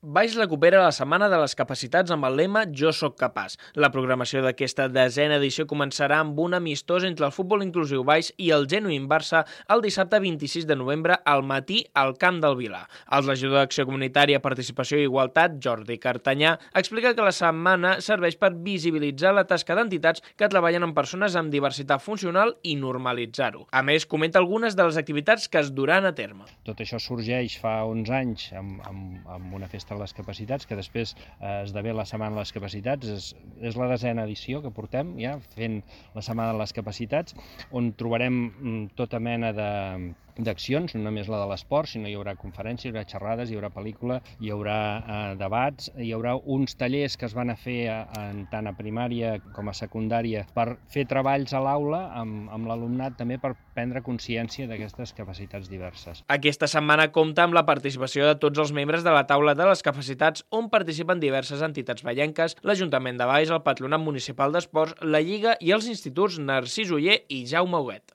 Baix recupera la Setmana de les Capacitats amb el lema Jo soc capaç. La programació d'aquesta 10a edició començarà amb un amistós entre el futbol inclusiu Baix i el Genuïn Barça el dissabte 26 de novembre al matí al Camp del Vilà. El regidor d'Acció Comunitària, Participació i Igualtat, Jordi Cartanyà, explica que la setmana serveix per visibilitzar la tasca d'entitats que treballen amb persones amb diversitat funcional i normalitzar-ho. A més, comenta algunes de les activitats que es duran a terme. Tot això sorgeix fa 11 anys amb una festa de les capacitats, que després esdevé la Setmana de les Capacitats. És la 10a edició que portem ja fent la Setmana de les Capacitats, on trobarem tota mena d'accions, no només la de l'esport, sinó hi haurà conferències, hi haurà xerrades, hi haurà pel·lícula, hi haurà debats, hi haurà uns tallers que es van a fer tant a primària com a secundària per fer treballs a l'aula amb l'alumnat també per prendre consciència d'aquestes capacitats diverses. Aquesta setmana compta amb la participació de tots els membres de la Taula de les Capacitats, on participen diverses entitats vallenques, l'Ajuntament de Baix, el Patronat Municipal d'Esports, la Lliga i els instituts Narcís Oller i Jaume Huguet.